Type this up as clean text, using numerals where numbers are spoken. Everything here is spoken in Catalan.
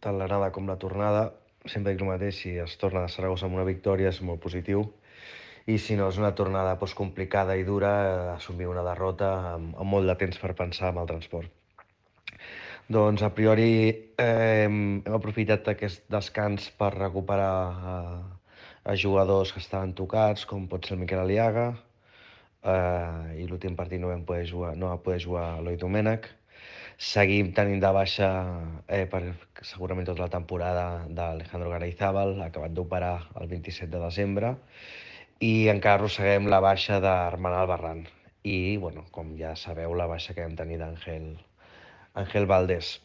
tant l'anada com la tornada. Sempre dic el mateix, si es torna de Saragossa amb una victòria és molt positiu, i si no és una tornada complicada i dura, assumir una derrota amb molt de temps per pensar en el transport. Doncs a priori hem aprofitat aquest descans per recuperar a jugadors que estaven tocats, com pot ser el Miquel Aliaga, i l'últim partit no va poder jugar Eloi Domènech. Seguim tenint de baixa per segurament tota la temporada d'Alejandro Garayzábal, acabat d'operar el 27 de desembre, i encara arrosseguem la baixa d'Arman Albarrán. I, bueno, com ja sabeu, la baixa que vam tenir d'Àngel Valdés.